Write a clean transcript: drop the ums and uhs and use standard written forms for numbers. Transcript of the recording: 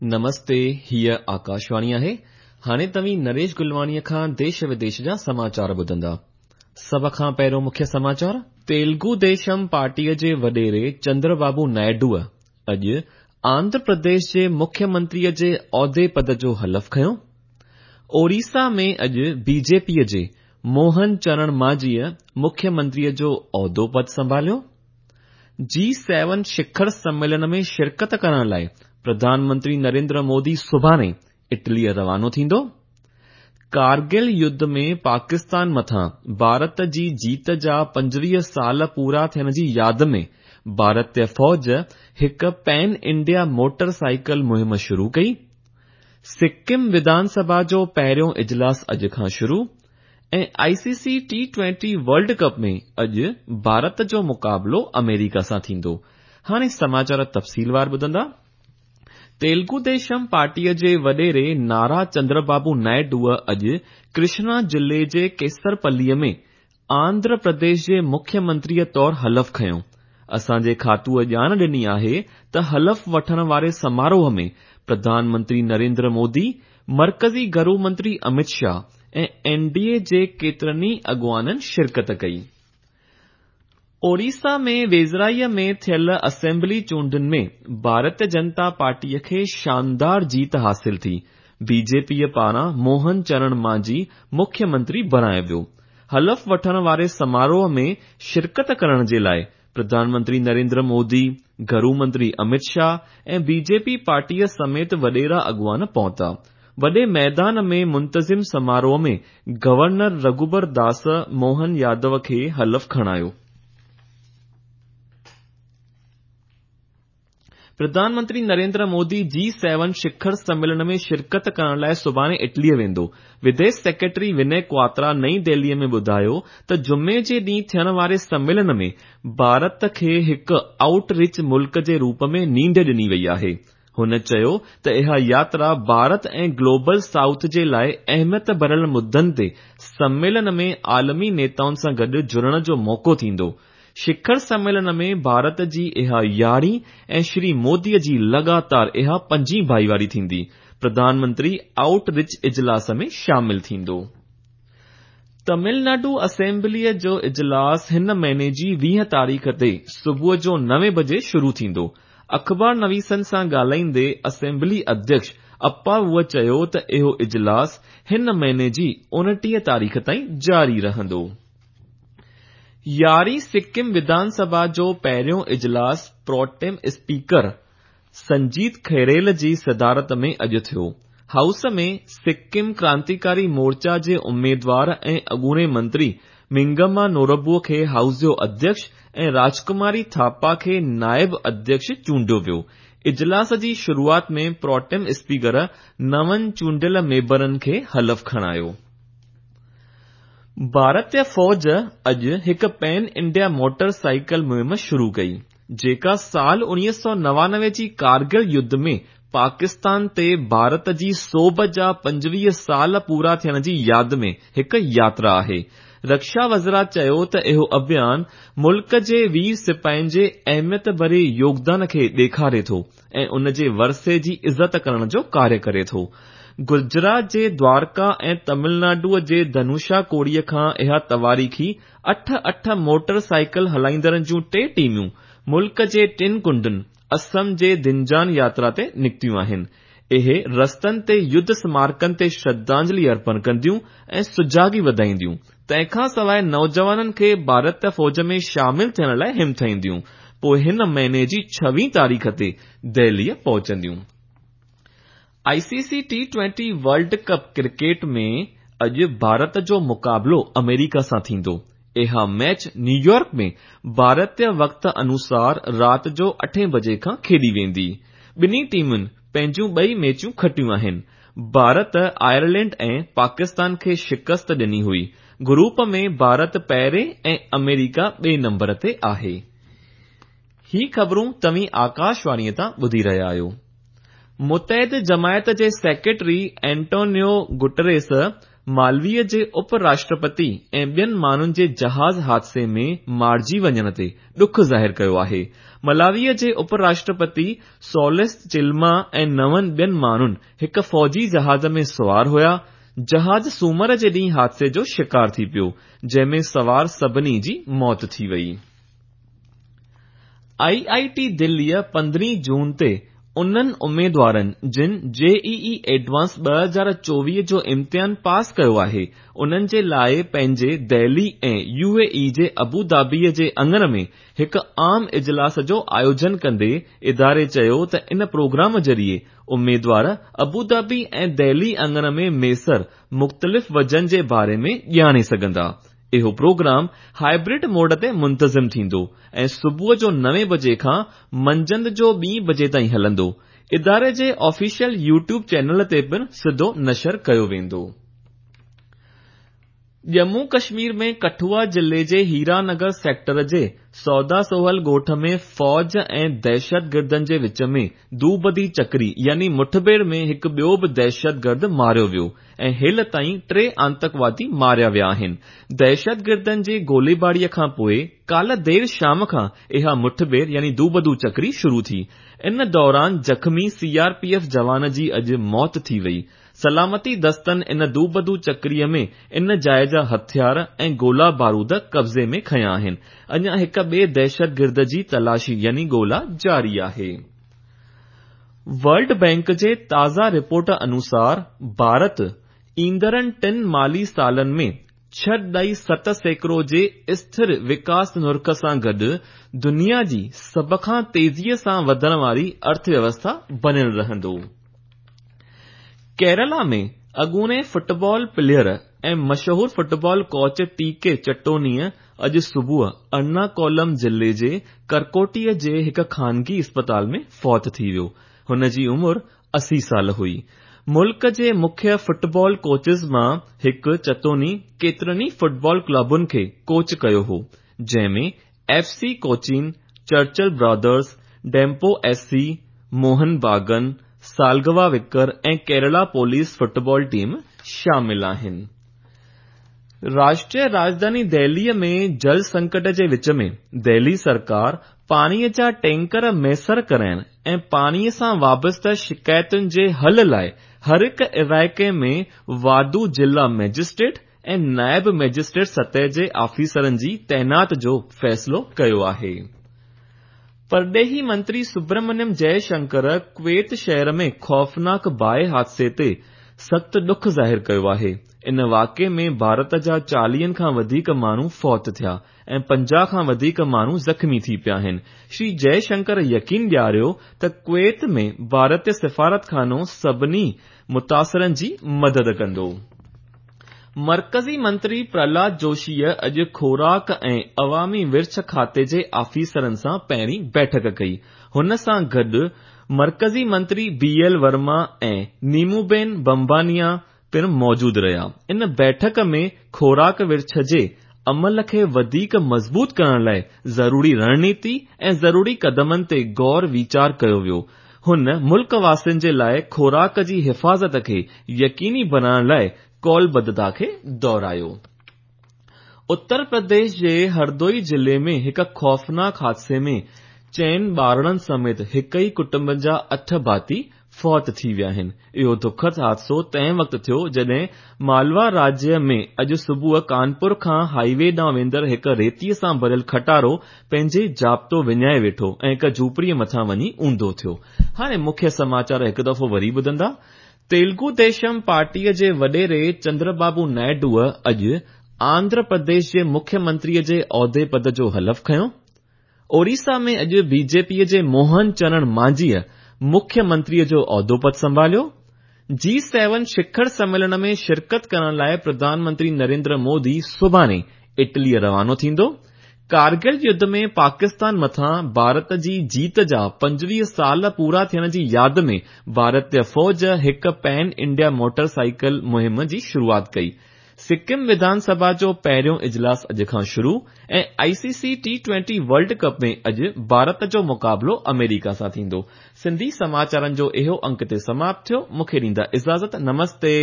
نمستي، هيء آڪاشواڻي آهي. هاڻي توهين نريش گلواڻيء کان ديش وديش جا سماچار ٻڌندا. سڀ کان پهريون مکيه سماچار. تيلگو ديشم پارٽيء جي وڏيري چندر بابو نائيڊوء اڄ آنڌرا پرديش جي مکيه منتريء جي عهدي پد جو حلف کنيو. اوڙيسا ۾ اڄ بي جي پيء جي موهن چرڻ مانجهيء مکيه منتريء جو عهدو پد سنڀاليو. جي سيون شکر سميلن ۾ شرڪت ڪرڻ لاء پرڌان منتري نريندر مودي سڀاڻي اٽليء روانو ٿيندو. ڪارگل يڌ ۾ پاڪستان مٿان ڀارت جي جيت جا 25 سال پورا ٿيڻ جي ياد ۾ ڀارتي فوج هڪ پين انڊيا موٽر سائيڪل مهم شروع ڪئي. سڪم وڌان سڀا جو پهريون اجلاس اڄ کان شروع. ۽ I C C T twenty world cup ۾ اڄ ڀارت جو مقابلو آمريڪا سان ٿيندو. هاڻي سماچار تفصيلوار ٻڌندا. تيلگو ديشم پارٽيء جي وڏيري نارا چندربابو نائيڊوء اڄ ڪرشنا ضلعي جي ڪيسرپليء ۾ آنڌرا پرديش جي مکيه منتريء طور حلف کنيو. اسان جي کاتوء ڄاڻ ڏني آهي ته حلف وٺڻ واري سماروهه ۾ پرڌان منتري نريندر مودي، مرڪزي گهرو منتري امت شاهه ۽ اين ڊي اي جي ڪيترن ئي اڳواڻن شرڪت ڪئي. اوڙيسا ۾ ويجهڙائيء ۾ ٿيل اسيمبلي چونڊن ۾ ڀارتيه جنتا پارٽيء کي شاندار جيت حاصل ٿي. بي جي پيء پاران موهن چرڻ مانجهي مکيه منتري بڻايو ويو. حلف وٺڻ واري سماروهه ۾ شرڪت ڪرڻ جي لاء پرڌان منتري نريندر مودي، گهرو منتري امت شاهه ۽ بي جي پي پارٽيء سميت وڏيرا اڳواڻ پهتا. وڏي ميدان ۾ منتظم سماروهه ۾ گورنر رگهوبر داس موهن يادو کي حلف کڻايو. پرڌان منتري نريندر مودي جي سيون شکر سميلن ۾ شرڪت ڪرڻ لاء سڀاڻي اٽليء ويندو. وديش سيڪريٽري وني ڪواترا نئين دهليء ۾ ٻڌايو ته جمعي جي ڏينهن ٿيڻ واري سميلن ۾ ڀارت کي هڪ آئوٽ ريچ ملڪ جي روپ ۾ نينڍ ڏني وئي آهي. هن چيو ته اها ياترا ڀارت ۽ گلوبل سائوٿ جي لاء اهميت ڀريل مدن تي سميلن ۾ عالمي نيتائن سان گڏ جڙڻ جو موقعو ٿيندو. شکر سميلن ۾ ڀارت جي اها يارهين ۽ شري موديء جي لڳاتار اها پنجين ڀائيواري ٿيندي. پرڌان منتري آئوٽ ريچ اجلاس ۾ شامل ٿيندو. تمل ناڊو اسيمبليء جو اجلاس هن مهيني جي 20 تاريخ تي صبح جو نوين بجي شروع ٿيندو. اخبار نويسن سان ڳالهائيندي اسيمبلي اڌيڪش اپاووء چيو ته اهو اجلاس هن مهيني جي 29 تاريخ تائين جاري رهندو. يارهين سڪم وڌان سڀا جو پهريون اجلاس پروٽيم اسپيڪر سنجيت کيريل جي صدارت ۾ اڄ ٿيو. هائوس ۾ سڪم ڪرانتيڪاري مورچا جي اميدوار ۽ اڳوڻي منتري منگما نوربو کي هائوس جو اڌيڪش ۽ راجڪماري ٿاپا کي نائب اڌيڪش چونڊيو ويو. اجلاس جي شروعات ۾ پروٽيم اسپيڪر نون چونڊيل ميمبرن کي حلف کڻايو. ڀارتي فوج اڄ هڪ پين انڊيا موٽر سائيڪل مهم شروع ڪئي، جيڪا سال 1999 جي ڪارگل يڌ ۾ پاڪستان تي ڀارت جي سوڀ جا 25 سال پورا ٿيڻ جي ياد ۾ هڪ ياترا آهي. رڪشا وزارت چيو ته اهو اڀيان ملڪ جي وير سپاهين جي اهميت ڀري يوگدان کي ڏيکاري ٿو ۽ ان جي ورثي جي عزت ڪرڻ جو ڪاريه ڪري ٿو. گجرات جي دوارڪا ۽ تمل ناڊوء جي ڌنوشا ڪوڙيء کان اها تواريخي اٺ اٺ موٽر سائيڪل هلائيندڙن جون ٽي ٽيمون ملڪ جي ٽن ڪنڊن اسم جي دنجان ياترا تي نڪتيون آهن. اهي رستن تي يڌ سمارڪن تي شرڌانجلي ارپڻ ڪنديون ۽ سجاڳي وڌائينديون. تنهن کان سواء نوجوانن کي ڀارتي فوج ۾ شامل ٿيڻ لاء همٿائينديون. پوء هن مهيني جي ڇويهين تاريخ تي دهليء پهچنديون. I C C T twenty world cup cricket ۾ اڄ ڀارت جو مقابلو آمريڪا سان ٿيندو. اها ميچ نيويارڪ ۾ ڀارتي وقت انوسار رات جو اٺين بجي کان کيڏي ويندي. ٻنهي ٽيمن پنهنجون ٻئي ميچون کٽيون آهن. ڀارت آئرلينڊ ۽ پاڪستان کي شڪست ڏني هئي. گروپ ۾ ڀارت پهرين ۽ آمريڪا ٻئي نمبر تي آهي. هي خبرون توهين آڪاشواڻيء تان ٻڌي رهيا آهيو. متحده جماعت جي سيڪريٽري اينٽونيو گٽريس مالويء جي اپ راشٽرپتي ۽ ٻين ماڻهن جي جهاز حادثي ۾ مارجي وڃڻ تي ڏک ظاهر ڪيو آهي. ملاويء جي اپ راشٽرپتي سولس چلما ۽ نون ٻين ماڻهن هڪ فوجي جهاز ۾ سوار هيا. جهاز سومر جي ڏينهن حادثي جو شڪار ٿي پيو، جنهن ۾ سوار سڀني جي موت ٿي وئي. آء آء ٽي دليء 15 جون تي انهن اميدوارن جن جي اي اي ايڊوانس 2024 جو امتحان پاس ڪيو آهي، انهن جي لاء پنهنجي دهلي ۽ يو اي اي جي ابوظهبيء جي اڱڻ ۾ هڪ عام اجلاس جو آيوجن ڪندي اداري چيو ته ان پروگرام ذريعي اميدوار ابوظهبي ۽ دهلي اڱڻ ۾ ميسر مختلف وجهن جي باري ۾ ڄاڻي سگهندا. اهو پروگرام هائبرڊ موڊ تي منتظم ٿيندو ۽ صبح جو نوين بجي کان منجهند جو ٻين بجي تائين هلندو. اداري جي آفيشل يوٽيوب چينل تي پڻ سڌو نشر ڪيو ويندو. ڄمون ڪشمير ۾ ڪٺوا ضلعي جي هيرانگر سيڪٽر جي سودا سوهل ڳوٺ ۾ فوج ۽ دهشتگردن جي وچ ۾ دوبدي چڪري يعني مٺڀيڙ ۾ هڪ ٻيو به دهشتگرد ماريو ويو. ۽ هيل تائين ٽي آتنڪوادي ماريا ويا آهن. دهشتگردن جي گوليباريء کان پوء ڪالهه دير شام کان اها مٺڀيڙ يعني دوبدو چڪري شروع ٿي. ان دوران زخمي سي آر پي ايف جوان جي اڄ موت ٿي وئي. سلامتي دستن ان دوبدو چڪريء ۾ ان جاء جا هٿيار ۽ گولا بارود قبضي ۾ کنيا آهن. اڃا هڪ ٻئي دهشتگرد جي تلاشي يعني ڳولا جاري آهي. ورلڊ بئنڪ جي تازه رپورٽ انوسار ڀارت ايندڙن ٽن مالي سالن ۾ 6.7% جي اسٿر وڪاس نرخ سان گڏ دنيا جي سڀ کان تيزيء سان وڌڻ واري ارٿويوسٿا بڻيل رهندو. ڪيرالا ۾ اڳوڻي فٽبال پليئر ۽ مشهور فٽبال ڪوچ ٽي ڪي چٽونيء اڄ صبح ارناڪولم ضلعي جي ڪرڪوٽيء جي هڪ خانگي اسپتال ۾ فوت ٿي ويو. هن جي عمر 80 سال هئي. ملڪ جي مکيه فٽبال ڪوچز مان هڪ چتوني ڪيترن ئي فٽبال ڪلبن کي ڪوچ ڪيو هو، جنهن ۾ F C Cochin, Churchill Brothers, Dempo S C, Mohun Bagan, Salgaocar ۽ Kerala police football team شامل آهن. راشٽريه راڄڌاني دهليء ۾ جل سنڪٽ جي وچ ۾ دهلي سرڪار پاڻيء جا ٽينڪر ميسر ڪرائڻ ۽ پاڻيء سان وابسته شڪايتن جي حل لاء هر هڪ علائقي ۾ واڌو ضلع مئجسٽريٽ ۽ نائب مئجسٽريٽ سطح جي آفيسرن جي تعينات جو فيصلو ڪيو آهي. پرڏيهي منتري سبرمنيم جئه شنڪر ڪويت شهر ۾ خوفناڪ باهه حادثي تي سخت ڏک ظاهر ڪيو آهي. ان واقعي ۾ ڀارت جا 40 کان وڌيڪ ماڻهو فوت ٿيا ۽ 50 کان وڌيڪ ماڻهو زخمي ٿي پيا آهن. شري جئه شنڪر يقين ڏياريو ته ڪويت ۾ ڀارتي سفارتخانو سڀني متاثرن جي مدد ڪندو. مرڪزي منتري پرهلاد جوشيء اڄ خوراڪ ۽ عوامي ورڇ کاتي جي آفيسرن سان پهرين بيٺڪ ڪئي. هن سان گڏ مرڪزي منتري بي ايل ورما ۽ نيموبين بمبانيا پڻ موجود رهيا. ان بيٺڪ ۾ خوراڪ ورڇ جي عمل کي وڌيڪ مضبوط ڪرڻ لاء ضروري رڻنيتي ۽ ضروري قدمن تي غور ويچار ڪيو ويو. هن ملڪ واسين جي لاء خوراڪ جي حفاظت کي يقيني بڻائڻ لاء قولبڌتا کي دهرايو. اتر پرديش جي هردوئي ضلعي ۾ هڪ خوفناڪ حادثي ۾ چئن ٻارڙن سميت هڪ ئي ڪٽنب جا اٺ ڀاتي فوت ٿي ويا آهن. اهو دکد حادثو تنهن وقت ٿيو جڏهن مالوا راجيه ۾ اڄ صبح ڪانپور کان هائي وي ڏانهن ويندڙ هڪ ريتي سان ڀريل کٽارو پنهنجي ضابطو وڃائي ويٺو ۽ هڪ جهوپڙيء مٿان وڃي اونڌو ٿيو. هاڻي مکيه سماچار هڪ دفعو وري ٻڌندا. تيلگو ديشم پارٽيء جي وڏيري چندربابو نائيڊوء اڄ آنڌرا پرديش جي مکيه منتريء جي عهدي پد جو حلف کنيو. اوڙيسا ۾ اڄ بي جي پيء جي موهن چرڻ مانجهيء مکيه منتريء جو عهدو پد سنڀاليو. جي سيون شکر سميلن ۾ شرڪت ڪرڻ لاء پرڌان منتري نريندر مودي سڀاڻي اٽليء روانو ٿيندو. ڪارگل يڌ ۾ پاڪستان مٿان ڀارت جي جيت جا 25 سال پورا ٿيڻ جي ياد ۾ ڀارتي فوج هڪ پين انڊيا موٽر سائيڪل مهم جي شروعات ڪئي. سڪم وڌان سڀا جو پهريون اجلاس اڄ کان شروع ۽ I C C T twenty world cup ۾ اڄ ڀارت جو مقابلو آمريڪا سان ٿيندو. سنڌي سماچارن جو اهو انڪ هتي سماپت ٿيو. مون کي ڏيندا اجازت. نمستي.